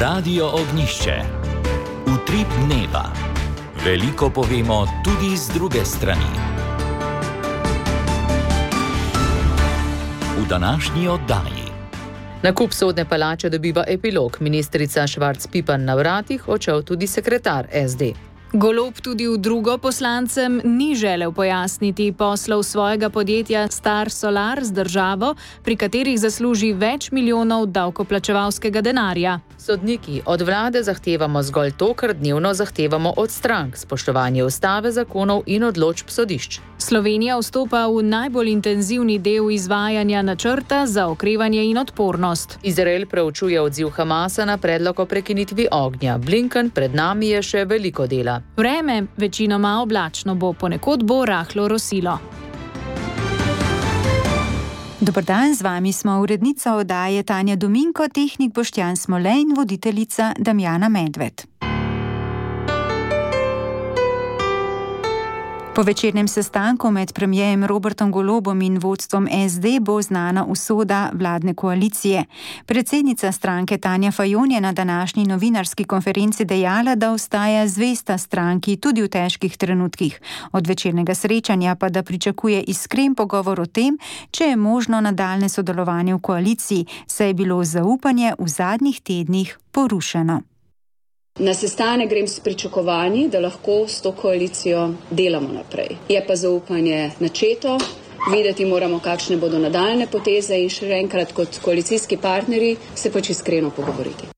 Radio Ognjišče. Utrip dneva. Veliko povemo tudi z druge strani. V današnji oddaji. Nakup sodne palače dobiva epilog. Ministrica Švarc Pipan na vratih, odšel tudi sekretar SD. Golob tudi v drugo poslancem ni želel pojasniti poslov svojega podjetja Star Solar z državo, pri katerih zasluži več milijonov davkoplačevalskega denarja. Sodniki, od vlade zahtevamo zgolj to, kar dnevno zahtevamo od strank: spoštovanje ustave, zakonov in odločb sodišč. Slovenija vstopa v najbolj intenzivni del izvajanja načrta za okrevanje in odpornost. Izrael preučuje odziv Hamasa na predlog o prekinitvi ognja. Blinken, pred nami je še veliko dela. Vreme večinoma oblačno bo, ponekod bo rahlo rosilo. Dober dan, z vami smo urednica oddaje Tanja Dominko, tehnik Boštjan Smole in voditeljica Damjana Medved. Po večernem sestanku med premierjem Robertom Golobom in vodstvom SD bo znana usoda vladne koalicije. Predsednica stranke Tanja Fajon je na današnji novinarski konferenci dejala, da ostaja zvesta stranki tudi v težkih trenutkih. Od večernega srečanja pa da pričakuje iskren pogovor o tem, če je možno nadaljne sodelovanje v koaliciji, saj je bilo zaupanje v zadnjih tednih porušeno. Na sestanek grem s pričakovanji, da lahko s to koalicijo delamo naprej. Je pa zaupanje načeto, videti moramo, kakšne bodo nadaljne poteze in še enkrat kot koalicijski partnerji se pač iskreno pogovoriti.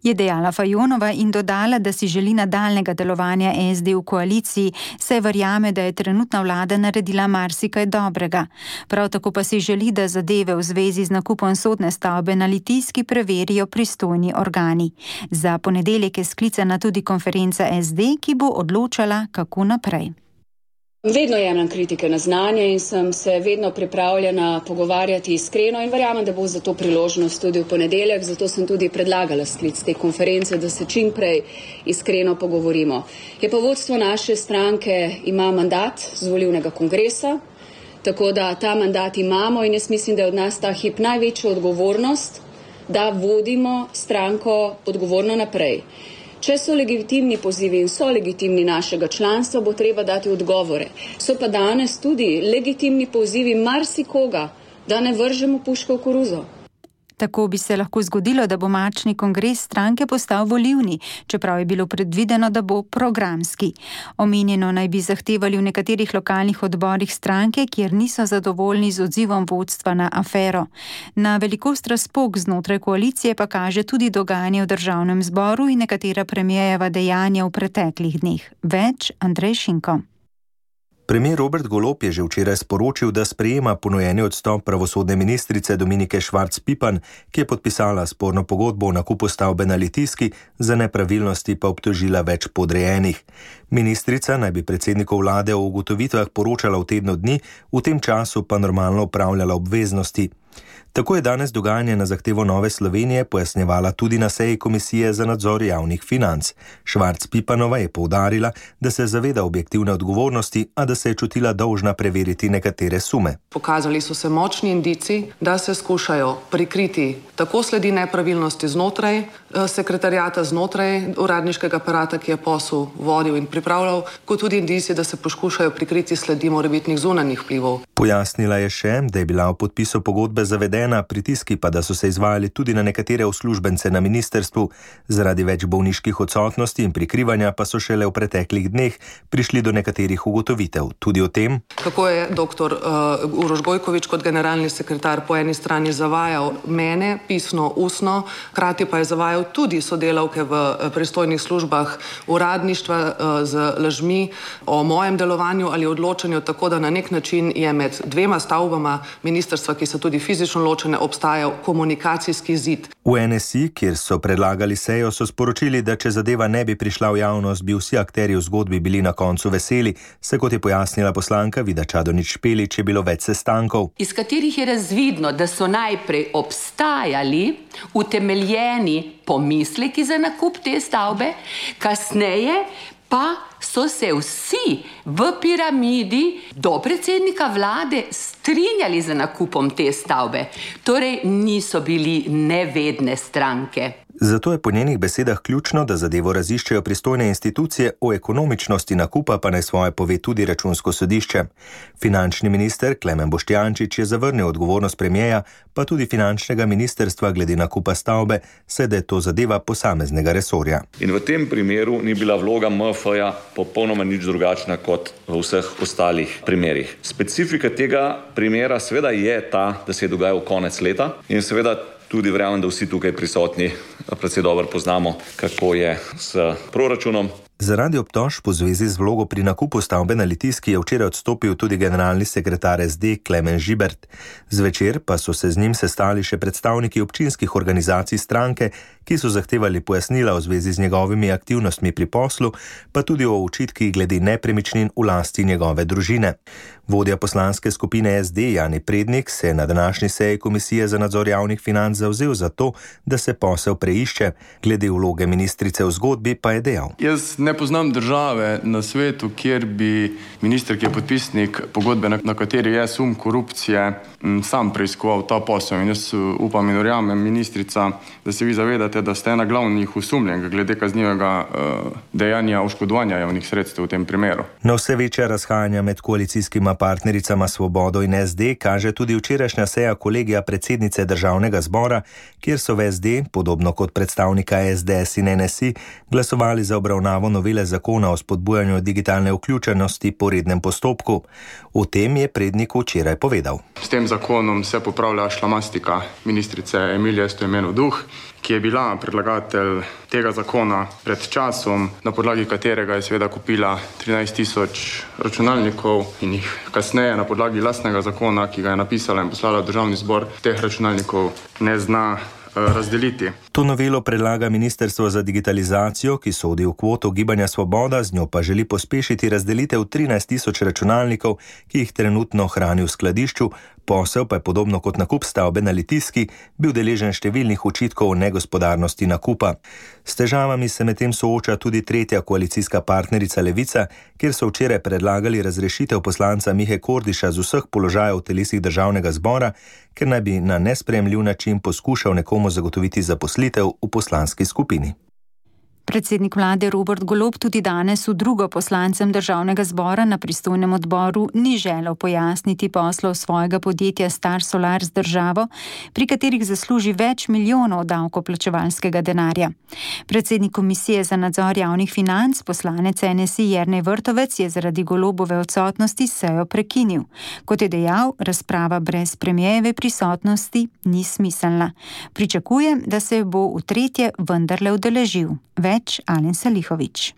Je dejala Fajonova in dodala, da si želi nadaljnega delovanja SD v koaliciji, saj verjame, da je trenutna vlada naredila marsikaj dobrega. Prav tako pa si želi, da zadeve v zvezi z nakupom sodne stavbe na Litijski preverijo pristojni organi. Za ponedeljek je sklicana tudi konferenca SD, ki bo odločala, kako naprej. Vedno jemljem kritike na znanje in sem se vedno pripravljena pogovarjati iskreno in verjamem, da bo za to priložnost tudi v ponedeljek, zato sem tudi predlagala sklic te konference, da se čim prej iskreno pogovorimo. Je pa vodstvo naše stranke ima mandat z volilnega kongresa, tako da ta mandat imamo in jaz mislim, da je od nas ta hip največja odgovornost, da vodimo stranko odgovorno naprej. Če so legitimni pozivi in so legitimni našega članstva, bo treba dati odgovore. So pa danes tudi legitimni pozivi marsikoga, da ne vržemo puško v koruzo. Tako bi se lahko zgodilo, da bo marčni kongres stranke postal volilni, čeprav je bilo predvideno, da bo programski. Omenjeno naj bi zahtevali v nekaterih lokalnih odborih stranke, kjer niso zadovoljni z odzivom vodstva na afero. Na velikost razpok znotraj koalicije pa kaže tudi dogajanje v državnem zboru in nekatera premierjeva dejanja v preteklih dneh. Več Andrej Šinko. Premier Robert Golob je že včeraj sporočil, da sprejema ponujeni odstop pravosodne ministrice Dominike Švarc Pipan, ki je podpisala sporno pogodbo o nakupu stavbe na Litijski, za nepravilnosti pa obtožila več podrejenih. Ministrica naj bi predsedniku vlade o ugotovitvah poročala v tednu dni, v tem času pa normalno opravljala obveznosti. Tako je danes dogajanje na zahtevo Nove Slovenije pojasnjevala tudi na seji Komisije za nadzor javnih financ. Švarc Pipanova je poudarila, da se zaveda objektivne odgovornosti, a da se je čutila dolžna preveriti nekatere sume. Pokazali so se močni indici, da se skušajo prikriti tako sledi nepravilnosti znotraj sekretariata, znotraj uradniškega aparata, ki je posel vodil in pripravljal, kot tudi indici, da se poskušajo prikriti sledi morebitnih zunanjih vplivov. Pojasnila je še, da je bila v podpisu pogodbe zavedena, pritiski pa, da so se izvajali tudi na nekatere uslužbence na ministrstvu. Zaradi več bolniških odsotnosti in prikrivanja pa so šele v preteklih dneh prišli do nekaterih ugotovitev. Tudi o tem, kako je dr. Uroš Gojkovič kot generalni sekretar po eni strani zavajal mene, pisno, ustno, hkrati pa je zavajal tudi sodelavke v pristojnih službah uradništva z lažmi o mojem delovanju ali odločanju, tako da na nek način je med dvema stavbama ministrstva, ki so tudi fizično ločene, obstajal komunikacijski zid. V NSI, kjer so predlagali sejo, so sporočili, da če zadeva ne bi prišla v javnost, bi vsi akterji v zgodbi bili na koncu veseli, se kot je pojasnila poslanka Vida Čadonič Špelič, je bilo več sestankov, iz katerih je razvidno, da so najprej obstajali utemeljeni pomisleki za nakup te stavbe, kasneje pa so se vsi v piramidi do predsednika vlade strinjali z nakupom te stavbe. Torej niso bili nevedne stranke. Zato je po njenih besedah ključno, da zadevo raziščejo pristojne institucije, o ekonomičnosti nakupa pa naj svoje pove tudi Računsko sodišče. Finančni minister Klemen Boštjančič je zavrnil odgovornost premierja, pa tudi finančnega ministrstva glede nakupa stavbe, saj da je to zadeva posameznega resorja. In v tem primeru ni bila vloga MF-ja popolnoma nič drugačna kot v vseh ostalih primerih. Specifika tega primera seveda je ta, da se je dogajal konec leta in seveda tudi verjamem, da vsi tukaj prisotni precej dobro poznamo, kako je s proračunom. Zaradi obtožb v zvezi z vlogo pri nakupu stavbe na Litijski je včeraj odstopil tudi generalni sekretar SD Klemen Žibert. Zvečer pa so se z njim sestali še predstavniki občinskih organizacij stranke, ki so zahtevali pojasnila v zvezi z njegovimi aktivnostmi pri poslu, pa tudi o očitkih glede nepremičnin v lasti njegove družine. Vodja poslanske skupine SD Jani Prednik se je na današnji seji Komisije za nadzor javnih financ zavzel za to, da se posel preišče. Glede vloge ministrice v zgodbi pa je dejal: Jaz ne poznam države na svetu, kjer bi minister, ki je podpisnik pogodbe, na kateri je sum korupcije, sam preiskoval ta posel. In jaz upam in verjamem, ministrica, da se vi zavedate, da ste ena glavnih osumljenk glede kaznivega dejanja oškodovanja javnih sredstev v tem primeru. Na vse večja razhajanja med koalicijskima partnericama Svobodo in SD kaže tudi včerajšnja seja kolegija predsednice Državnega zbora, kjer so v SD, podobno kot predstavnika SDS in NSI, glasovali za obravnavo novele zakona o spodbujanju digitalne vključenosti po rednem postopku. O tem je Prednik včeraj povedal: S tem zakonom se popravlja šlamastika ministrice Emilije Stojmenov Duh, ki je bila predlagatelj tega zakona pred časom, na podlagi katerega je seveda kupila 13.000 računalnikov in jih kasneje na podlagi lastnega zakona, ki ga je napisala in poslala v Državni zbor, teh računalnikov ne zna razdeliti. To novelo predlaga Ministrstvo za digitalizacijo, ki sodi v kvoto Gibanja Svoboda, z njo pa želi pospešiti razdelitev 13.000 računalnikov, ki jih trenutno hrani v skladišču. Posel pa je podobno kot nakup stavbe na Litijski bil deležen številnih očitkov o negospodarnosti nakupa. S težavami se medtem sooča tudi tretja koalicijska partnerica Levica, kjer so včeraj predlagali razrešitev poslanca Mihe Kordiša z vseh položajev v telesih Državnega zbora, ker naj bi na nesprejemljiv način poskušal nekomu zagotoviti zaposlitev v poslanski skupini. Predsednik vlade Robert Golob tudi danes v drugo poslancem Državnega zbora na pristojnem odboru ni želel pojasniti poslov svojega podjetja Star Solar z državo, pri katerih zasluži več milijonov davkoplačevalskega denarja. Predsednik Komisije za nadzor javnih financ, poslanec NSI Jernej Vrtovec, je zaradi Golobove odsotnosti sejo prekinil. Kot je dejal, razprava brez premierjeve prisotnosti ni smiselna. Pričakujem, da se bo v tretje vendarle udeležil. Več Alen Salihović.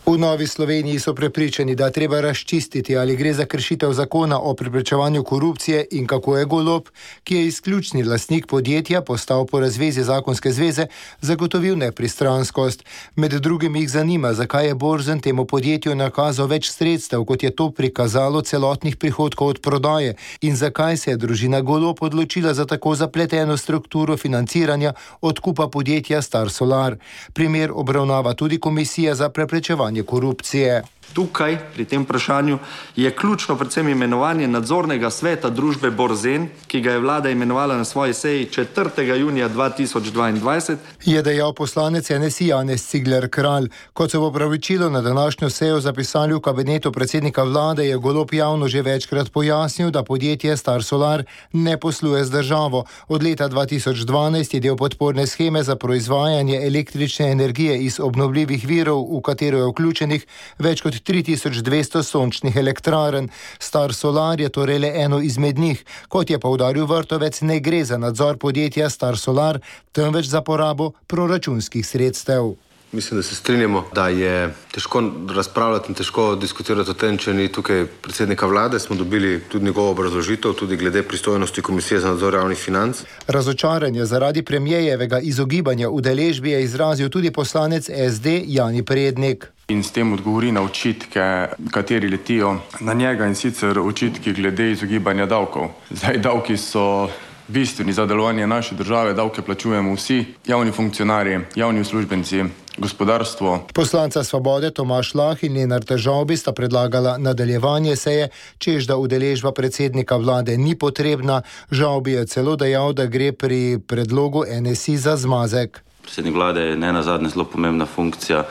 V Novi Sloveniji so prepričani, da treba razčistiti, ali gre za kršitev zakona o preprečevanju korupcije in kako je Golob, ki je izključni lastnik podjetja, postal po razvezi zakonske zveze, zagotovil nepristranskost. Med drugim jih zanima, zakaj je Borzen temu podjetju nakazal več sredstev, kot je to prikazalo celotnih prihodkov od prodaje, in zakaj se je družina Golob odločila za tako zapleteno strukturo financiranja odkupa podjetja Star Solar. Primer obravnava tudi Komisija za preprečevanje korupcije. Tukaj, pri tem vprašanju, je ključno predvsem imenovanje nadzornega sveta družbe Borzen, ki ga je vlada imenovala na svoji seji 4. junija 2022. Je dejal poslanec NSI Janez Cigler Kralj. Kot so v opravičilu na današnjo sejo zapisali v kabinetu predsednika vlade, je Golob javno že večkrat pojasnil, da podjetje Star Solar ne posluje z državo. Od leta 2012 je del podporne sheme za proizvajanje električne energije iz obnovljivih virov, v katero je vključenih več kot 3200 sončnih elektrarn. Star Solar je torej le eno izmed njih. Kot je poudaril Vrtovec, ne gre za nadzor podjetja Star Solar, temveč za porabo proračunskih sredstev. Mislim, da se strinjamo, da je težko razpravljati in težko diskutirati o tem, če ni tukaj predsednika vlade. Smo dobili tudi njegovo obrazložitev, tudi glede pristojnosti Komisije za nadzor javnih financ. Razočaranje zaradi premierjevega izogibanja udeležbi je izrazil tudi poslanec SD Jani Prednik. In s tem odgovori na očitke, kateri letijo na njega, in sicer očitki glede izogibanja davkov. Zdaj, davki so bistveni za delovanje naše države, davke plačujemo vsi, javni funkcionarji, javni uslužbenci, gospodarstvo. Poslanca Svobode Tomaž Lah in Lenart Žavbi sta predlagala nadaljevanje seje, čež da udeležba predsednika vlade ni potrebna. Žavbi je celo dejal, da gre pri predlogu NSI za zmazek. Predsednik vlade je ne nazadnje zelo pomembna funkcija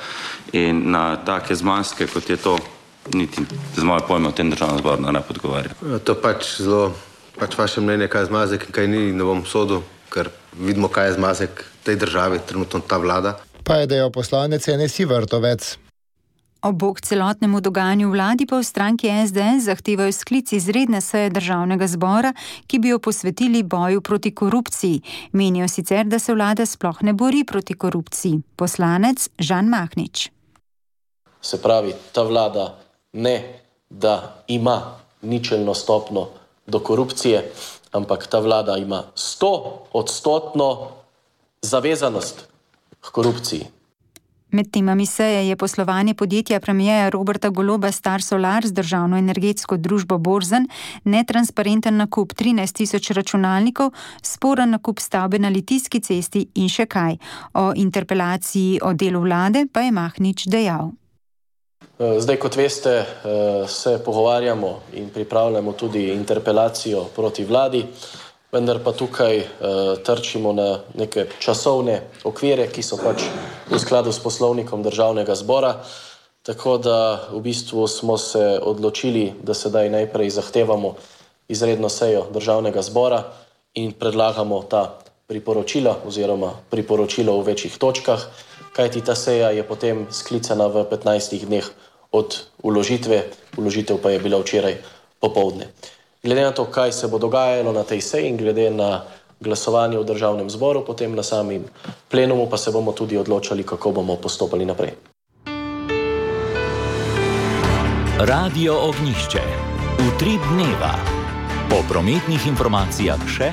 in na take zmazke, kot je to, niti z moje pojme v tem državnem zboru ne podgovarja. To pač vaše mnenje, kaj je zmazek in kaj ni, ne bom sodil, ker vidimo, kaj je zmazek tej državi, trenutno ta vlada. Pa je dejal poslanec NSI Vrtovec. Ob bok celotnemu dogajanju vladi pa v stranki SDS zahtevajo sklic izredne seje državnega zbora, ki bi jo posvetili boju proti korupciji. Menijo sicer, da se vlada sploh ne bori proti korupciji. Poslanec Žan Mahnič. Se pravi, ta vlada ne, da ima ničelno stopno do korupcije, ampak ta vlada ima 100% zavezanost k korupciji. Med temami seje je poslovanje podjetja premierja Roberta Goloba Star Solar z državno energetsko družbo Borzen, netransparenten nakup 13.000 računalnikov, sporen nakup stavbe na Litijski cesti in še kaj. O interpelaciji o delu vlade pa je Mahnič dejal. Zdaj, kot veste, se pogovarjamo in pripravljamo tudi interpelacijo proti vladi, vendar pa tukaj trčimo na neke časovne okvire, ki so pač v skladu s poslovnikom državnega zbora, tako da v bistvu smo se odločili, da sedaj najprej zahtevamo izredno sejo državnega zbora in predlagamo ta priporočila oziroma priporočilo v večjih točkah, kajti ta seja je potem sklicana v 15 dneh od vložitve, vložitev pa je bila včeraj popoldne. Glede na to, kaj se bo dogajalo na tej seji in glede na glasovanje v državnem zboru, potem na samem plenumu pa se bomo tudi odločali, kako bomo postopali naprej. Radio Ognjišče. Utrip dneva. Po prometnih informacijah še.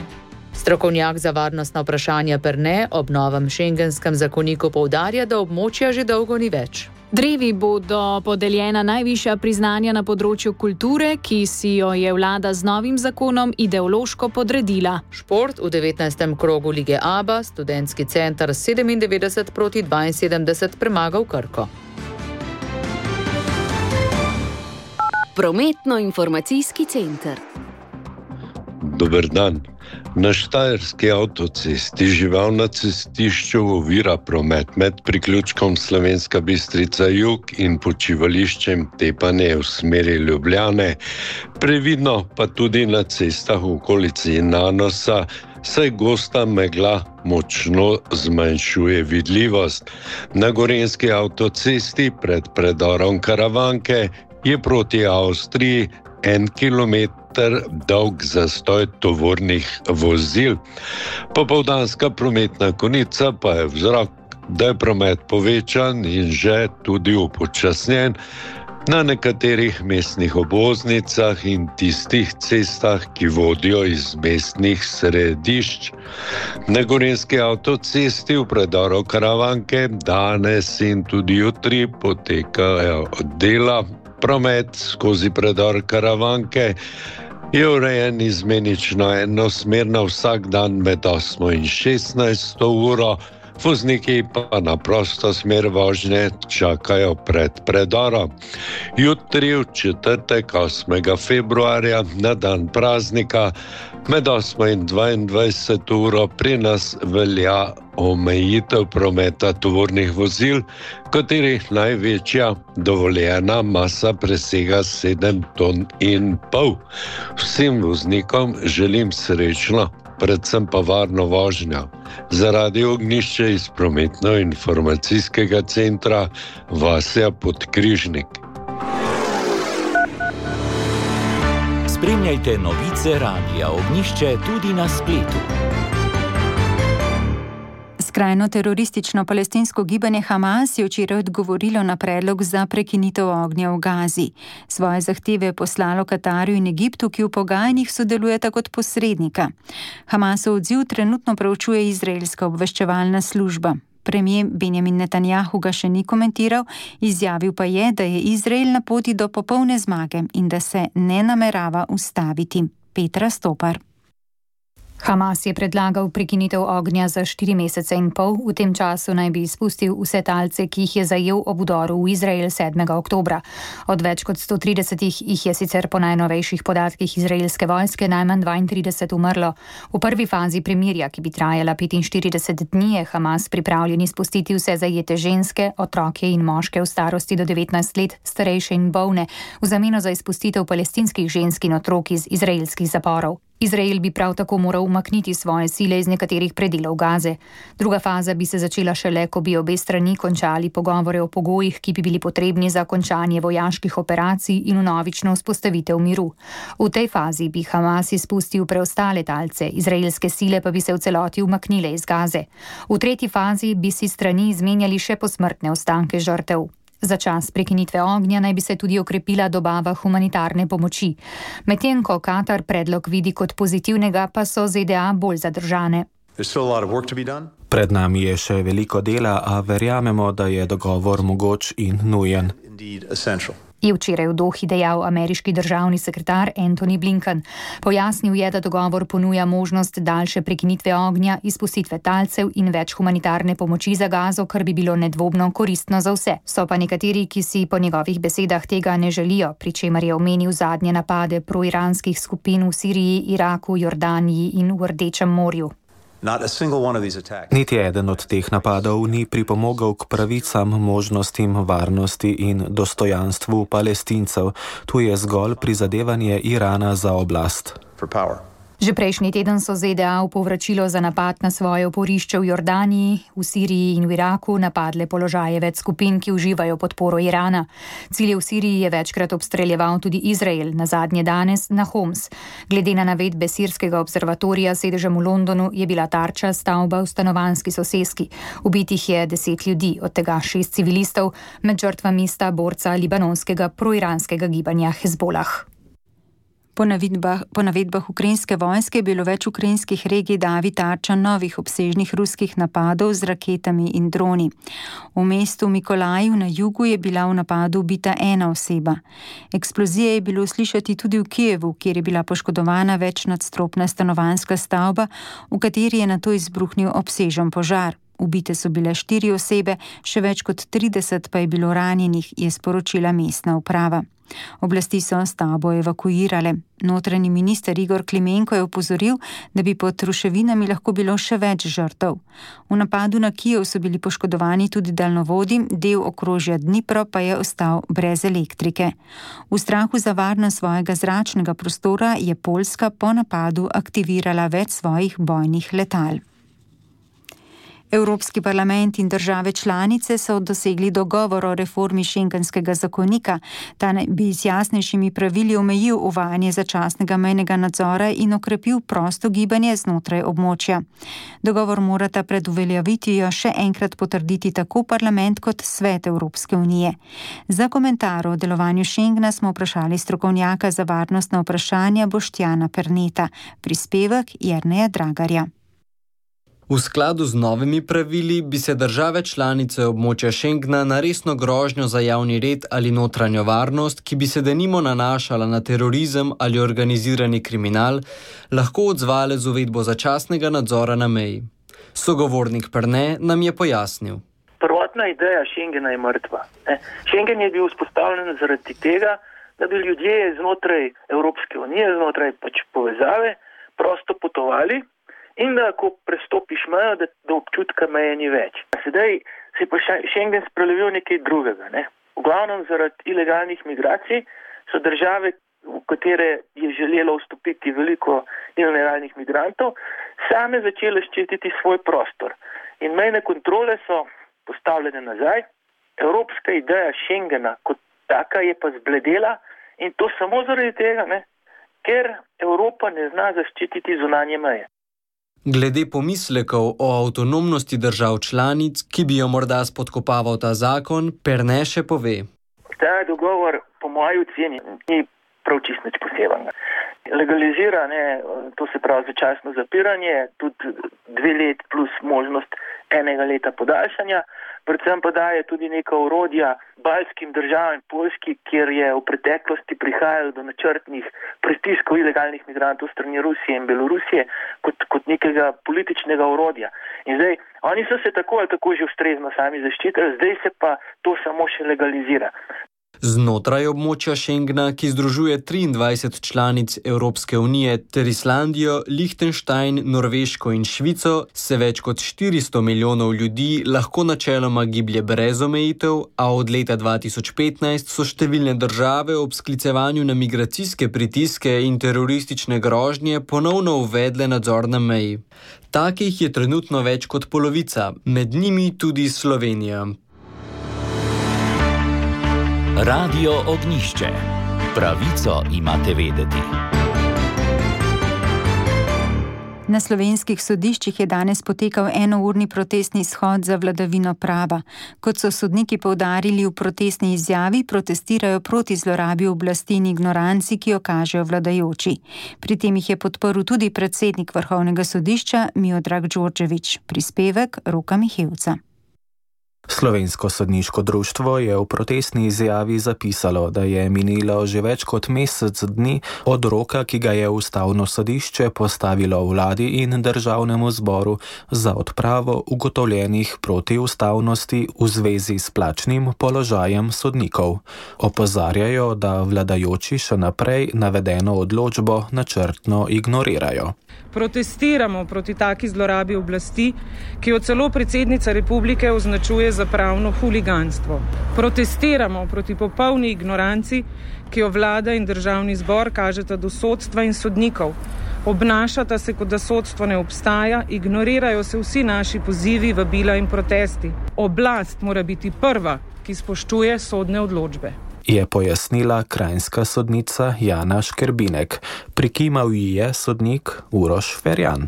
Strokovnjak za varnostna vprašanja Perne ob novem šengenskem zakoniku poudarja, da območja že dolgo ni več. Drevi bodo podeljena najvišja priznanja na področju kulture, ki si jo je vlada z novim zakonom ideološko podredila. Šport v 19. krogu lige ABA, študentski center 97-72 premagal Krko. Prometno-informacijski center. Dober dan. Na Štajerski avtocesti žival na cestišču ovira promet med priključkom Slovenska Bistrica jug in počivališčem Tepanje v smeri Ljubljane. Previdno pa tudi na cestah v okolici Nanosa, saj gosta megla močno zmanjšuje vidljivost. Na Gorenjski avtocesti pred predorom Karavanke je proti Avstriji 1 kilometer dolg zastoj tovornih vozil. Popoldanska prometna konica pa je vzrok, da je promet povečan in že tudi upočasnjen na nekaterih mestnih obvoznicah in tistih cestah, ki vodijo iz mestnih središč. Na Gorenjski avtocesti v predoru Karavanke danes in tudi jutri potekajo dela. Promet skozi predor Karavanke je urejen izmenično enosmerno vsak dan med 8 in 16 uro, vozniki pa na prosto smer vožnje čakajo pred predorom. Jutri v četrtek 8. februarja na dan praznika med 8 in 22 uro pri nas velja omejitev prometa tovornih vozil, katerih največja dovoljena masa presega 7,5 ton. Vsem voznikom želim srečno, predvsem pa varno vožnjo. Za Radio Ognjišče iz prometno-informacijskega centra Vasja Podkrižnik. Spremljajte novice Radia Ognjišče tudi na spletu. Skrajno teroristično palestinsko gibanje Hamas je včeraj odgovorilo na predlog za prekinitev ognja v Gazi. Svoje zahteve je poslalo Katarju in Egiptu, ki v pogajanjih sodelujeta kot posrednika. Hamasov odziv trenutno preučuje izraelska obveščevalna služba. Premier Benjamin Netanjahu ga še ni komentiral, izjavil pa je, da je Izrael na poti do popolne zmage in da se ne namerava ustaviti. Petra Stopar. Hamas je predlagal prekinitev ognja za 4 mesece in pol, v tem času naj bi izpustil vse talce, ki jih je zajel ob vdoru v Izrael 7. oktobra. Od več kot 130 jih je sicer po najnovejših podatkih izraelske vojske najmanj 32 umrlo. V prvi fazi premirja, ki bi trajala 45 dni, je Hamas pripravljen izpustiti vse zajete ženske, otroke in moške v starosti do 19 let, starejše in bolne, v zameno za izpustitev palestinskih žensk in otrok iz izraelskih zaporov. Izrael bi prav tako moral umakniti svoje sile iz nekaterih predelov Gaze. Druga faza bi se začela šele, ko bi obe strani končali pogovore o pogojih, ki bi bili potrebni za končanje vojaških operacij in vnovično vzpostavitev miru. V tej fazi bi Hamas izpustil preostale talce, izraelske sile pa bi se v celoti umaknile iz Gaze. V tretji fazi bi si strani izmenjali še posmrtne ostanke žrtev. Za čas prekinitve ognja naj bi se tudi okrepila dobava humanitarne pomoči. Medtem ko Katar predlog vidi kot pozitivnega, pa so ZDA bolj zadržane. Pred nami je še veliko dela, a verjamemo, da je dogovor mogoč in nujen. Je včeraj v Dohi dejal ameriški državni sekretar Antony Blinken. Pojasnil je, da dogovor ponuja možnost daljše prekinitve ognja, izpustitve talcev in več humanitarne pomoči za Gazo, kar bi bilo nedvomno koristno za vse. So pa nekateri, ki si po njegovih besedah tega ne želijo, pri čemer je omenil zadnje napade proiranskih skupin v Siriji, Iraku, Jordaniji in v Rdečem morju. Niti eden od teh napadov ni pripomogel k pravicam, možnostim, varnosti in dostojanstvu Palestincev. Tu je zgolj prizadevanje Irana za oblast. Že prejšnji teden so ZDA v povračilo za napad na svoje oporišče v Jordaniji, v Siriji in v Iraku napadle položaje več skupin, ki uživajo podporo Irana. Cilje v Siriji je večkrat obstreljeval tudi Izrael, nazadnje danes na Homs. Glede na navedbe sirskega observatorija s sedežem v Londonu je bila tarča stavba v stanovanjski soseski. Ubitih je 10 ljudi, od tega 6 civilistov, med žrtvami sta borca libanonskega proiranskega gibanja Hezbolah. Po navedbah ukrajinske vojske je bilo več ukrajinskih regij davi tarča novih obsežnih ruskih napadov z raketami in droni. V mestu Mikolaju na jugu je bila v napadu ubita ena oseba. Eksplozije je bilo slišati tudi v Kijevu, kjer je bila poškodovana večnadstropna stanovanjska stavba, v kateri je nato izbruhnil obsežen požar. Ubite so bile 4 osebe, še več kot 30 pa je bilo ranjenih, je sporočila mestna uprava. Oblasti so stavbo evakuirale. Notranji minister Igor Klimenko je opozoril, da bi pod ruševinami lahko bilo še več žrtev. V napadu na Kijev so bili poškodovani tudi daljnovodi, del okrožja Dnipro pa je ostal brez elektrike. V strahu za varnost svojega zračnega prostora je Poljska po napadu aktivirala več svojih bojnih letal. Evropski parlament in države članice so dosegli dogovor o reformi šengenskega zakonika. Ta bi z jasnejšimi pravili omejil uvajanje začasnega mejnega nadzora in okrepil prosto gibanje znotraj območja. Dogovor morata pred uveljavitvijo še enkrat potrditi tako parlament kot Svet Evropske unije. Za komentar o delovanju Schengena smo vprašali strokovnjaka za varnostna vprašanja Boštjana Perneta. Prispevek Jerneja Dragarja. V skladu z novimi pravili bi se države članice območja Schengena na resno grožnjo za javni red ali notranjo varnost, ki bi se denimo nanašala na terorizem ali organizirani kriminal, lahko odzvale z uvedbo začasnega nadzora na meji. Sogovornik Perne nam je pojasnil. Prvotna ideja Schengena je mrtva. Schengen je bil vzpostavljen zaradi tega, da bi ljudje znotraj Evropske unije, znotraj povezave, prosto potovali, in da, ko prestopiš mejo, da občutka meje ni več. Sedaj se je pa Schengen sprelevil nekaj drugega. V glavnem zaradi ilegalnih migracij so države, v katere je želelo vstopiti veliko ilegalnih migrantov, same začele ščititi svoj prostor. In mejne kontrole so postavljene nazaj. Evropska ideja Schengena kot taka je pa zbledela in to samo zaradi tega, ker Evropa ne zna zaščititi zunanje meje. Glede pomislekov o avtonomnosti držav članic, ki bi jo morda spodkopaval ta zakon, Perne še pove. Ta dogovor, po moji oceni, ni prav čisto nič posebnega. Legalizira, to se pravi začasno zapiranje, tudi 2 let plus možnost enega leta podaljšanja. Predvsem pa daje tudi neka orodja baltskim državam in Poljski, kjer je v preteklosti prihajalo do načrtnih pritiskov ilegalnih migrantov strani Rusije in Belorusije kot nekega političnega orodja. In zdaj, oni so se tako ali tako že ustrezno sami zaščitili, zdaj se pa to samo še legalizira. Znotraj območja Schengena, ki združuje 23 članic Evropske unije ter Islandijo, Liechtenstein, Norveško in Švico, se več kot 400 milijonov ljudi lahko načeloma giblje brez omejitev, a od leta 2015 so številne države ob sklicevanju na migracijske pritiske in teroristične grožnje ponovno uvedle nadzor na meji. Takih je trenutno več kot polovica, med njimi tudi Slovenija. Radio Ognjišče. Pravico imate vedeti. Na slovenskih sodiščih je danes potekal enourni protestni shod za vladavino prava. Kot so sodniki poudarili v protestni izjavi, protestirajo proti zlorabi oblasti in ignoranci, ki jo kažejo vladajoči. Pri tem jih je podprl tudi predsednik Vrhovnega sodišča Miodrag Đorđević. Prispevek Roka Mihevca. Slovensko sodniško društvo je v protestni izjavi zapisalo, da je minilo že več kot mesec dni od roka, ki ga je Ustavno sodišče postavilo vladi in državnemu zboru za odpravo ugotovljenih protiustavnosti v zvezi s plačnim položajem sodnikov. Opozarjajo, da vladajoči še naprej navedeno odločbo načrtno ignorirajo. Protestiramo proti taki zlorabi oblasti, ki jo celo predsednica republike označuje za pravno huliganstvo. Protestiramo proti popolni ignoranci, ki jo vlada in državni zbor kažeta do sodstva in sodnikov. Obnašata se, kot da sodstvo ne obstaja, ignorirajo se vsi naši pozivi, vabila in protesti. Oblast mora biti prva, ki spoštuje sodne odločbe. Je pojasnila kranjska sodnica Jana Škerbinek. Prikimal ji je sodnik Uroš Ferjan.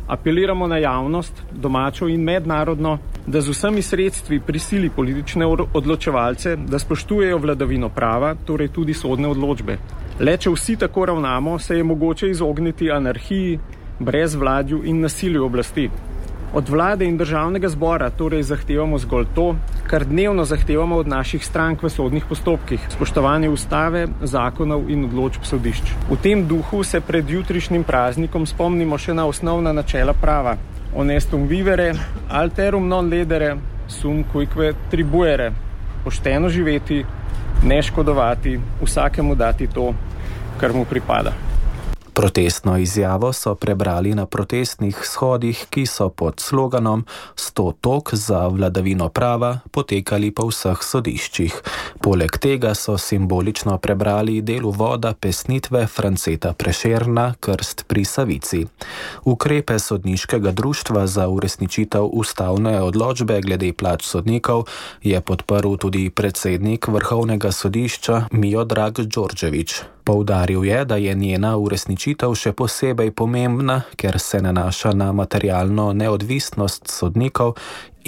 Apeliramo na javnost, domačo in mednarodno, da z vsemi sredstvi prisili politične odločevalce, da spoštujejo vladavino prava, torej tudi sodne odločbe. Le če vsi tako ravnamo, se je mogoče izogniti anarhiji, brezvladju in nasilju oblasti. Od vlade in državnega zbora torej zahtevamo zgolj to, kar dnevno zahtevamo od naših strank v sodnih postopkih, spoštovanje ustave, zakonov in odločb sodišč. V tem duhu se pred jutrišnjim praznikom spomnimo še na osnovna načela prava. Honestum vivere, alterum non ledere, sum cuique tribuere. Pošteno živeti, ne škodovati, vsakemu dati to, kar mu pripada. Protestno izjavo so prebrali na protestnih shodih, ki so pod sloganom 100 tok za vladavino prava potekali po vseh sodiščih. Poleg tega so simbolično prebrali del uvoda pesnitve Franceta Prešerna Krst pri Savici. Ukrepe sodniškega društva za uresničitev ustavne odločbe glede plač sodnikov je podprl tudi predsednik Vrhovnega sodišča Miodrag Đorđević. Poudaril je, da je njena uresničitev še posebej pomembna, ker se nanaša na materialno neodvisnost sodnikov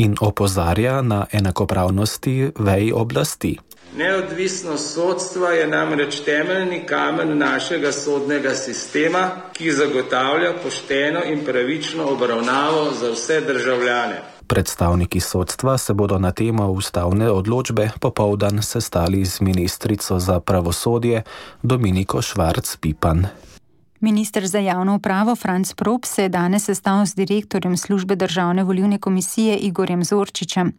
in opozarja na enakopravnosti vej oblasti. Neodvisnost sodstva je namreč temeljni kamen našega sodnega sistema, ki zagotavlja pošteno in pravično obravnavo za vse državljane. Predstavniki sodstva se bodo na temo ustavne odločbe popoldan sestali z ministrico za pravosodje Dominiko Švarc Pipan. Minister za javno upravo Franc Props se je danes sestal z direktorjem službe Državne volilne komisije Igorjem Zorčičem.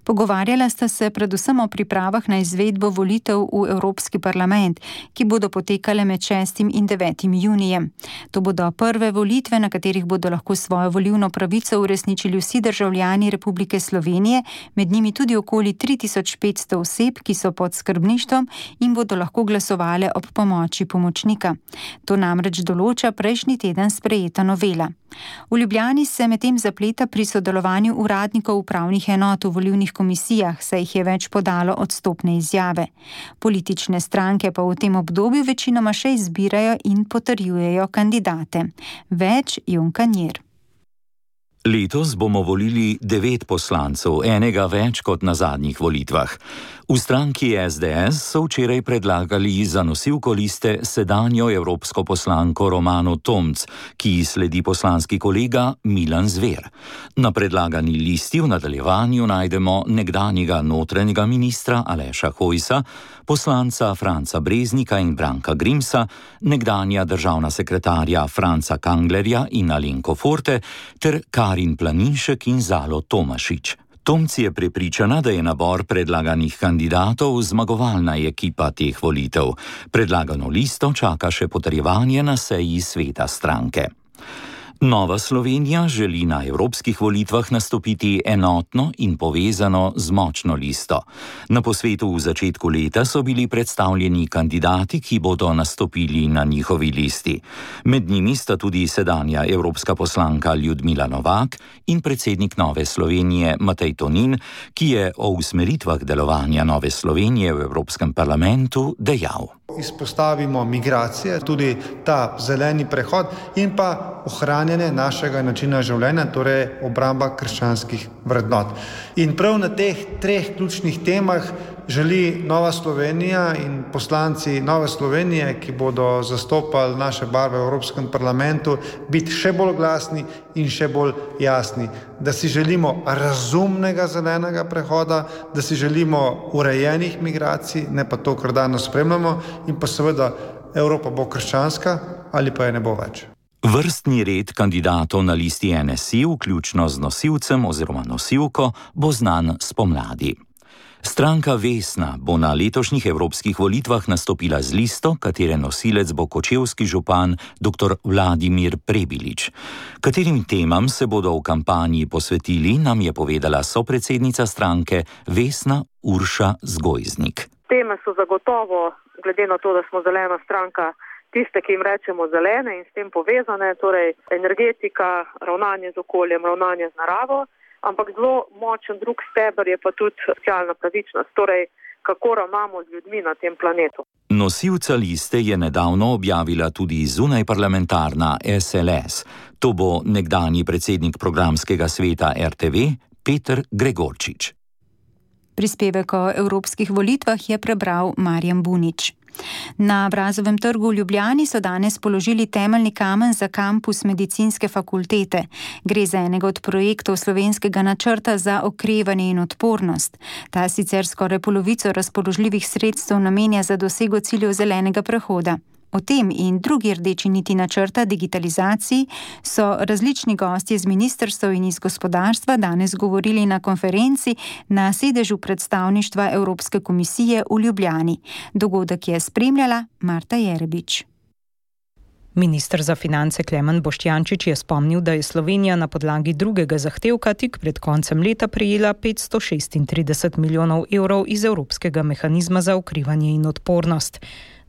Pogovarjala sta se predvsem o pripravah na izvedbo volitev v Evropski parlament, ki bodo potekale med 6. in 9. junijem. To bodo prve volitve, na katerih bodo lahko svojo volilno pravico uresničili vsi državljani Republike Slovenije, med njimi tudi okoli 3500 oseb, ki so pod skrbništvom in bodo lahko glasovale ob pomoči pomočnika. To namreč določa prejšnji teden sprejeta novela. V Ljubljani se medtem zapleta pri sodelovanju uradnikov upravnih enot v volilnih komisijah, saj jih je več podalo odstopne izjave. Politične stranke pa v tem obdobju večinoma še izbirajo in potrjujejo kandidate. Več Jon Kanjer. Letos bomo volili 9 poslancev, enega več kot na zadnjih volitvah. V stranki SDS so včeraj predlagali za nosilko liste sedanjo evropsko poslanko Romano Tomc, ki ji sledi poslanski kolega Milan Zver. Na predlagani listi v nadaljevanju najdemo nekdanjega notranjega ministra Aleša Hojsa, poslanca Franca Breznika in Branka Grimsa, nekdanja državna sekretarja Franca Kanglerja in Alenko Forte ter Karin Planinšek in Zalo Tomašič. Tomci je prepričana, da je nabor predlaganih kandidatov zmagovalna ekipa teh volitev. Predlagano listo čaka še potrjevanje na seji sveta stranke. Nova Slovenija želi na evropskih volitvah nastopiti enotno in povezano z močno listo. Na posvetu v začetku leta so bili predstavljeni kandidati, ki bodo nastopili na njihovi listi. Med njimi sta tudi sedanja evropska poslanka Ljudmila Novak in predsednik Nove Slovenije Matej Tonin, ki je o usmeritvah delovanja Nove Slovenije v Evropskem parlamentu dejal. Izpostavimo migracije, tudi ta zeleni prehod in pa ohranjanje našega načina življenja, torej obramba krščanskih vrednot. In prav na teh 3 ključnih temah želi Nova Slovenija in poslanci Nove Slovenije, ki bodo zastopali naše barve v Evropskem parlamentu, biti še bolj glasni in še bolj jasni. Da si želimo razumnega zelenega prehoda, da si želimo urejenih migracij, ne pa to, kar danes spremljamo, in pa seveda Evropa bo krščanska ali pa je ne bo več. Vrstni red kandidatov na listi NSI, vključno z nosilcem oziroma nosilko, bo znan spomladi. Stranka Vesna bo na letošnjih evropskih volitvah nastopila z listo, katere nosilec bo kočevski župan dr. Vladimir Prebilič. Katerim temam se bodo v kampanji posvetili, nam je povedala sopredsednica stranke Vesna Urša Zgojznik. Teme so zagotovo, glede na to, da smo zelena stranka, tiste, ki jim rečemo zelene in s tem povezane, torej energetika, ravnanje z okoljem, ravnanje z naravo. Ampak zelo močen drug steber je pa tudi socialna pravičnost, torej kako ravnamo z ljudmi na tem planetu. Nosilca liste je nedavno objavila tudi zunajparlamentarna SLS. To bo nekdanji predsednik programskega sveta RTV Peter Gregorčič. Prispevek o evropskih volitvah je prebral Marjan Bunič. Na Brazovem trgu v Ljubljani so danes položili temeljni kamen za kampus medicinske fakultete. Gre za enega od projektov slovenskega načrta za okrevanje in odpornost. Ta sicer skoraj polovico razpoložljivih sredstev namenja za dosego ciljev zelenega prehoda. O tem in drugi rdeči niti načrta digitalizaciji so različni gostje z ministrstev in iz gospodarstva danes govorili na konferenci na sedežu predstavništva Evropske komisije v Ljubljani. Dogodek je spremljala Marta Jerebič. Minister za finance Klemen Boštjančič je spomnil, da je Slovenija na podlagi drugega zahtevka tik pred koncem leta prejela 536 milijonov evrov iz Evropskega mehanizma za okrevanje in odpornost.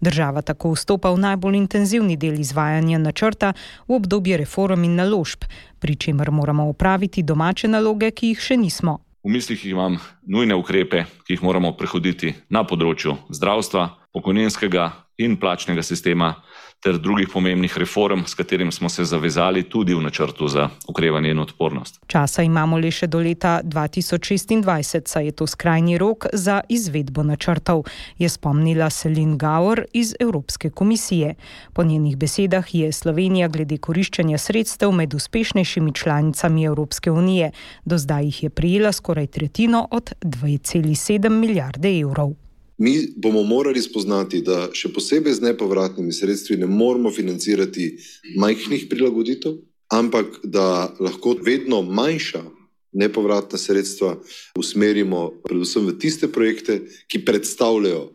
Država tako vstopa v najbolj intenzivni del izvajanja načrta v obdobje reform in naložb, pri čemer moramo opraviti domače naloge, ki jih še nismo. V mislih imam nujne ukrepe, ki jih moramo prehoditi na področju zdravstva, pokojninskega in plačnega sistema ter drugih pomembnih reform, s katerim smo se zavezali tudi v načrtu za okrevanje in odpornost. Časa imamo le še do leta 2026, saj je to skrajni rok za izvedbo načrtov, je spomnila Celine Gauer iz Evropske komisije. Po njenih besedah je Slovenija glede koriščenja sredstev med uspešnejšimi članicami Evropske unije. Do zdaj jih je prejela skoraj tretjino od 2,7 milijarde evrov. Mi bomo morali spoznati, da še posebej z nepovratnimi sredstvi ne moramo financirati majhnih prilagoditev, ampak da lahko vedno manjša nepovratna sredstva usmerimo predvsem v tiste projekte, ki predstavljajo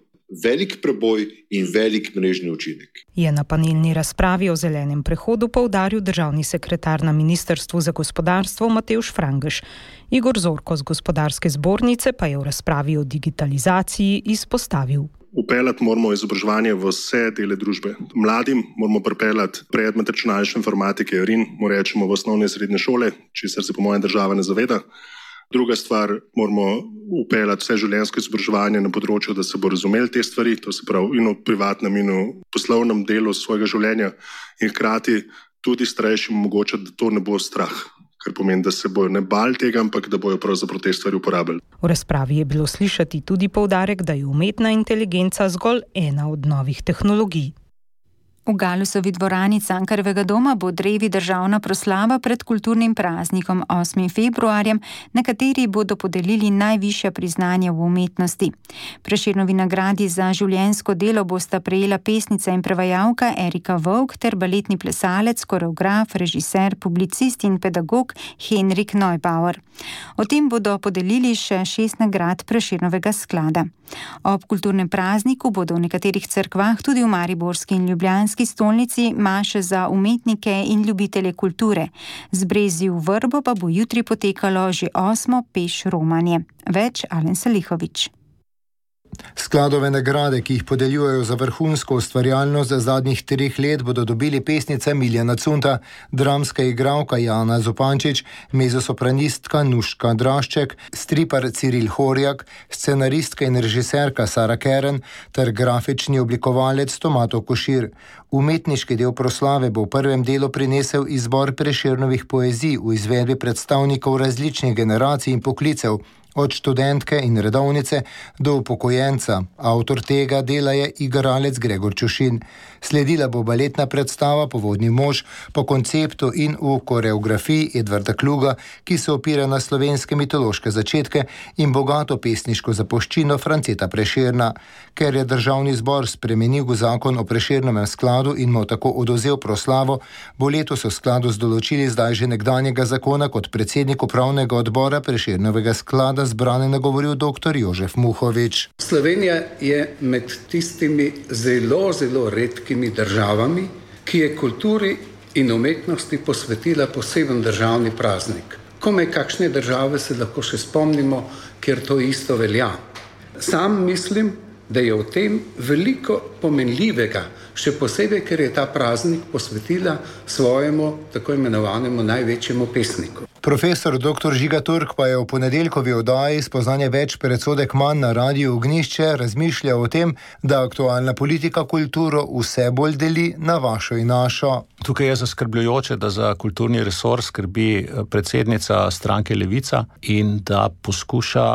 velik preboj in velik mrežni učinek. Je na panelni razpravi o zelenem prehodu poudaril državni sekretar na Ministrstvu za gospodarstvo Matevž Frangež. Igor Zorko z Gospodarske zbornice pa je v razpravi o digitalizaciji izpostavil. Vpeljati moramo izobraževanje v vse dele družbe. Mladim moramo pripeljati predmet računalniške informatike RIN, mu rečemo v osnovne in srednje šole, česar se po mojem država ne zaveda. Druga stvar, moramo upeljati vse življenjsko izobraževanje na področju, da se bo razumeli te stvari, to se pravi in v privatnem in v poslovnem delu svojega življenja in hkrati tudi starejšim omogočati, da to ne bo strah, kar pomeni, da se bojo ne bali tega, ampak da bojo pravzaprav te stvari uporabljali. V razpravi je bilo slišati tudi poudarek, da je umetna inteligenca zgolj ena od novih tehnologij. V Galusovi dvorani Cankarjevega doma bo drevi državna proslava pred kulturnim praznikom 8. februarjem, na kateri bodo podelili najvišja priznanja v umetnosti. Prešernovi nagradi za življenjsko delo bosta prejela pesnica in prevajalka Erika Vovk ter baletni plesalec, koreograf, režiser, publicist in pedagog Henrik Neubauer. O tem bodo podelili še 6 nagrad Prešernovega sklada. Ob kulturnem prazniku bodo v nekaterih cerkvah, tudi v mariborski in ljubljanski stolnici, maše za umetnike in ljubitelje kulture. Z Brezji v Vrbo pa bo jutri potekalo že 8. peš romanje. Več Alen Salihovič. Skladove nagrade, ki jih podeljujejo za vrhunsko ustvarjalnost za zadnjih 3 let, bodo dobili pesnica Miljana Cunta, dramska igralka Jana Zupančič, mezzosopranistka Nuška Drašček, stripar Ciril Horjak, scenaristka in režiserka Sara Keren ter grafični oblikovalec Tomato Košir. Umetniški del proslave bo v prvem delu prinesel izbor Prešernovih poezij v izvedbi predstavnikov različnih generacij in poklicev, od študentke in redovnice do upokojenca. Avtor tega dela je igralec Gregor Čušin. Sledila bo baletna predstava Povodni mož po konceptu in v koreografiji Edvarda Kluga, ki se opira na slovenske mitološke začetke in bogato pesniško zapuščino Franceta Prešerna. Ker je državni zbor spremenil zakon o Prešernovem skladu in mu tako odvzel proslavo, bo letos v skladu z določili zdaj že nekdanjega zakona kot predsednik upravnega odbora Prešernovega sklada zbrane nagovoril dr. Jožef Muhovič. Slovenija je med tistimi zelo, zelo redkimi državami, ki je kulturi in umetnosti posvetila poseben državni praznik. Komaj kakšne države se lahko še spomnimo, kjer to isto velja. Sam mislim, da je v tem veliko pomenljivega, še posebej, ker je ta praznik posvetila svojemu tako imenovanemu največjemu pesniku. Profesor dr. Žiga Turk pa je v ponedeljkovi oddaji Spoznanje več predsodek manj na Radiu Ognjišče razmišljal o tem, da aktualna politika kulturo vse bolj deli na vašo in našo. Tukaj je zaskrbljujoče, da za kulturni resor skrbi predsednica stranke Levica in da poskuša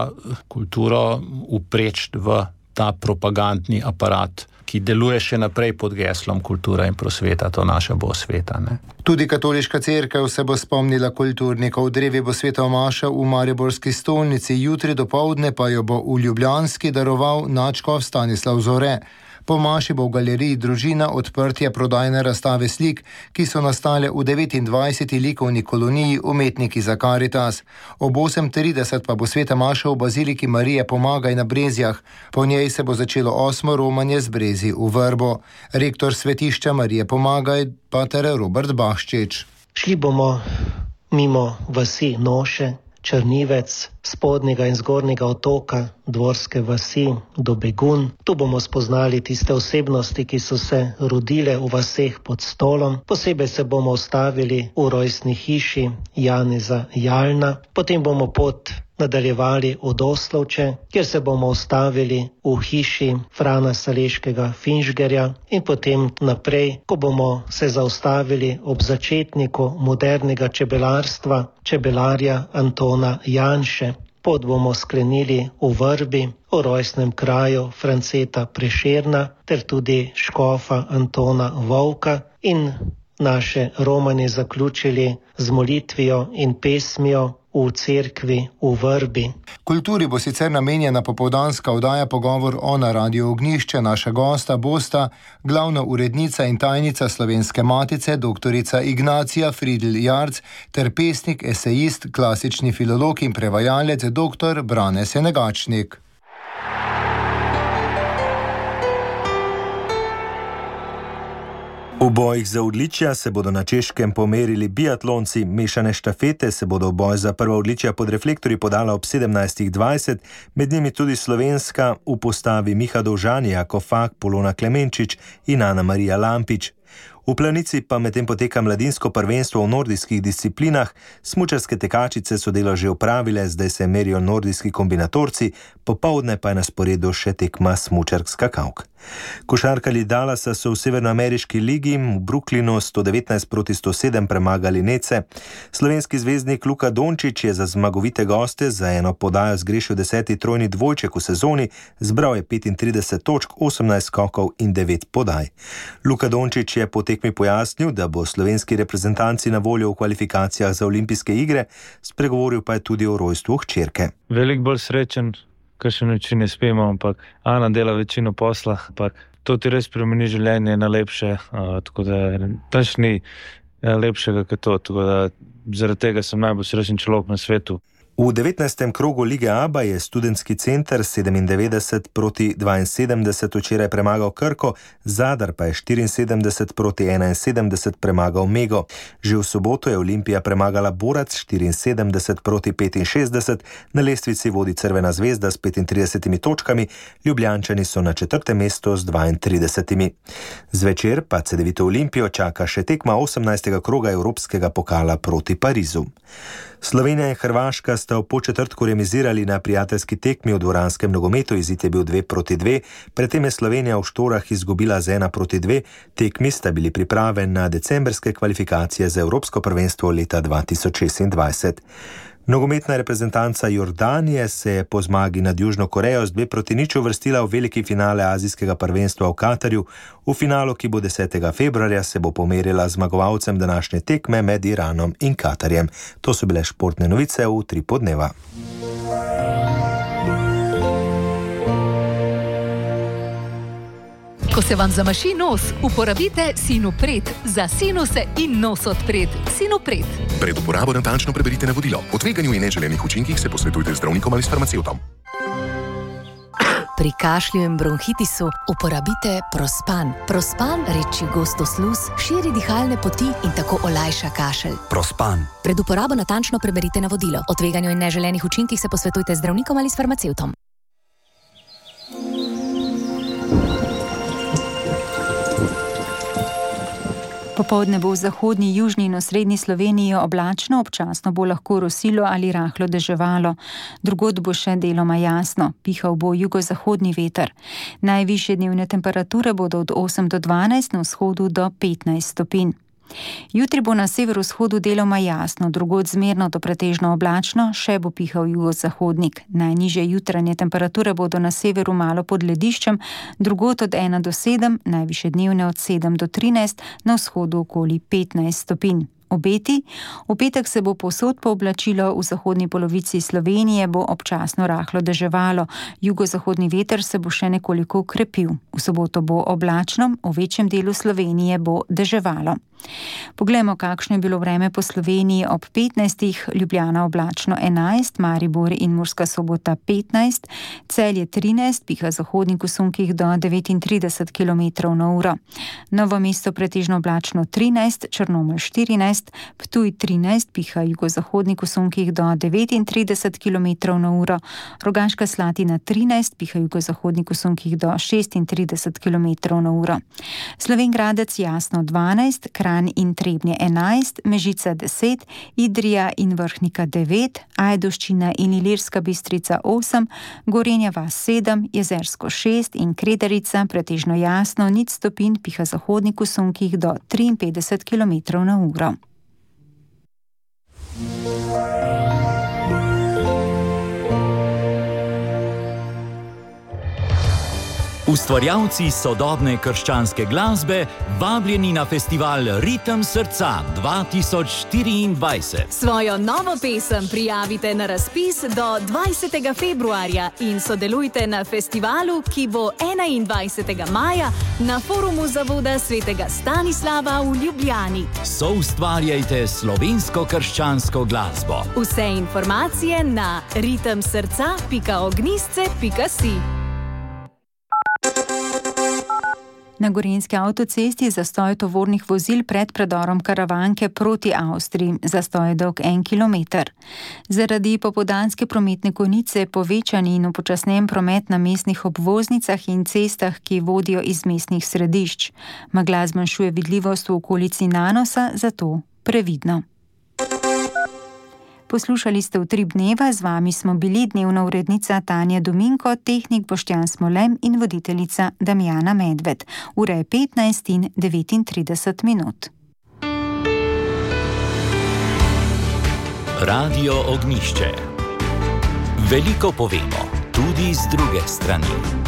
kulturo upreči v ta propagandni aparat, ki deluje še naprej pod geslom kultura in prosveta, to naša bo sveta. Ne? Tudi katoliška cerkev se bo spomnila kulturnikov. Drevi bo sveta maša v mariborski stolnici, jutri dopoldne pa jo bo v ljubljanski daroval nadškof Stanislav Zore. Po maši bo v galeriji Družina odprtje prodajne razstave slik, ki so nastale v 29. likovni koloniji Umetniki za Karitas. Ob 8:30 pa bo sveta maša v baziliki Marije Pomagaj na Brezjah. Po njej se bo začelo 8. romanje z Brezji v Vrbo. Rektor svetišča Marije Pomagaj, pater Robert Baščič. Šli bomo mimo vasi Noše, Črnivec, spodnjega in zgornjega otoka, Dvorske vasi do Begun. Tu bomo spoznali tiste osebnosti, ki so se rodile v vaseh pod Stolom. Posebej se bomo ustavili v rojstni hiši Janeza Jalna. Potem bomo pot nadaljevali od Oslovče, kjer se bomo ustavili v hiši Frana Saleškega Finžgerja in potem naprej, ko bomo se zaustavili ob začetniku modernega čebelarstva, čebelarja Antona Janše. Pot bomo sklenili v Vrbi, v rojstnem kraju Franceta Prešerna ter tudi škofa Antona Vovka in naše romanje zaključili z molitvijo in pesmijo v cerkvi v Vrbi. Kulturi bo sicer namenjena popoldanska oddaja Pogovor o na Radiu Ognjišče. Naša gosta bosta glavna urednica in tajnica Slovenske matice, doktorica Ignacija Fridl Jarc, ter pesnik, esejist, klasični filolog in prevajalec, dr. Brane Senegačnik. V bojih za odličja se bodo na Češkem pomerili biatlonci, mešane štafete se bodo v boj za prva odličja pod reflektorji podala ob 17:20, med njimi tudi slovenska v postavi Miha Dovžan, Jako Fak, Polona Klemenčič in Ana Marija Lampič. V Planici pa medtem poteka mladinsko prvenstvo v nordijskih disciplinah. Smučarske tekačice so delo že opravile, zdaj se merijo nordijski kombinatorci, popoldne pa je na sporedu še tekma smučark skakavk. Košarkarji Dallasa so v severnoameriški ligi v Brooklynu 119-107 premagali Nece. Slovenski zvezdnik Luka Dončić je za zmagovite goste za eno podajo zgrešil 10. trojni dvojček v sezoni, zbral je 35 točk, 18 skokov in 9 podaj. Luka Dončić je po tekmi pojasnil, da bo slovenski reprezentanci na voljo v kvalifikacijah za olimpijske igre, spregovoril pa je tudi o rojstvu hčerke. Veliko bolj srečen, kar še noči ne spemo, ampak Ana dela večino posla, ampak to ti res spremeni življenje na lepše, tako da tač ni lepšega kot to, tako da zaradi tega sem najbolj srečen človek na svetu. V 19. krogu Lige ABA je Študentski center 97-72 včeraj premagal Krko, Zadar pa je 74-71 premagal Mego. Že v soboto je Olimpija premagala Borac 74-65, na lestvici vodi Crvena zvezda s 35 točkami, Ljubljančani so na 4. mestu z 32. Zvečer pa Cedevito Olimpijo čaka še tekma 18. kroga Evropskega pokala proti Parizu. Slovenija in Hrvaška sta v početrtku remizirali na prijateljski tekmi v dvoranskem nogometu, izid je bil 2-2, predtem je Slovenija v Štorah izgubila z 1-2, tekmi sta bili priprave na decembrske kvalifikacije za Evropsko prvenstvo leta 2026. Nogometna reprezentanca Jordanije se je po zmagi nad Južno Korejo z 2-0 uvrstila v veliki finale azijskega prvenstva v Katarju. V finalu, ki bo 10. februarja, se bo pomerila zmagovalcem današnje tekme med Iranom in Katarjem. To so bile športne novice v 3 podneva. Ko se vam zamaši nos, uporabite Sinopret za sinuse in nos odpret. Sinopret. Pred uporabo natančno preberite navodilo. O tveganju in neželenih učinkih se posvetujte z zdravnikom ali s farmacevtom. Pri kašlju in bronhitisu uporabite Prospan. Prospan reči gosto sluz, širi dihalne poti in tako olajša kašelj. Prospan. Pred uporabo natančno preberite navodilo. O tveganju in neželenih učinkih se posvetujte z zdravnikom ali s farmacevtom. Popoldne bo v zahodni, južni in osrednji Sloveniji oblačno, občasno bo lahko rosilo ali rahlo deževalo. Drugod bo še deloma jasno, pihal bo jugozahodni veter. Najvišje dnevne temperature bodo od 8 do 12, na vzhodu do 15 stopinj. Jutri bo na severovzhodu deloma jasno, drugod zmerno do pretežno oblačno, še bo pihal jugozahodnik. Najnižje jutranje temperature bodo na severu malo pod lediščem, drugod od 1 do 7, najvišje dnevne od 7 do 13, na vzhodu okoli 15 stopinj. Obeti. V petek se bo povsod pooblačilo, v zahodni polovici Slovenije bo občasno rahlo deževalo, jugozahodni veter se bo še nekoliko ukrepil. V soboto bo oblačno, v večjem delu Slovenije bo deževalo. Poglejmo, kakšno je bilo vreme po Sloveniji ob 15. Ljubljana oblačno 11, Maribor in Murska Sobota 15, Celje 13, piha zahodnik v sunkih do 39 km/h. Novo mesto pretežno oblačno 13, Črnomelj 14, Ptuj 13, piha jugozahodnik v sunkih do 39 km/h, Rogaška Slatina 13, piha jugozahodnik v sunkih do 36 km/h. Slovenj Gradec jasno 12, Kranj in Trebnje 11, Mežica 10, Idrija in Vrhnika 9, Ajdovščina in Ilirska Bistrica 8, Gorenja vas 7, Jezersko 6 in Kredarica pretežno jasno 0 stopinj, piha zahodnik v sunkih do 53 km/h. Ustvarjalci sodobne krščanske glasbe vabljeni na festival Ritem srca 2024. Svojo novo pesem prijavite na razpis do 20. februarja in sodelujte na festivalu, ki bo 21. maja na forumu Zavoda svetega Stanislava v Ljubljani. Soustvarjajte slovensko krščansko glasbo. Vse informacije na ritemsrca.ognistce.si. Na gorenjski avtocesti zastoj tovornih vozil pred predorom Karavanke proti Avstriji, zastoj je dolg 1 kilometer. Zaradi popoldanske prometne konice povečan in upočasnjen promet na mestnih obvoznicah in cestah, ki vodijo iz mestnih središč. Megla zmanjšuje vidljivost v okolici Nanosa, zato previdno. Poslušali ste Utrip dneva, z vami smo bili dnevna urednica Tanja Dominko, tehnik Boštjan Smolem in voditeljica Damjana Medved. Ura je 15:39 minut. Radio Ognjišče. Veliko povemo, tudi z druge strani.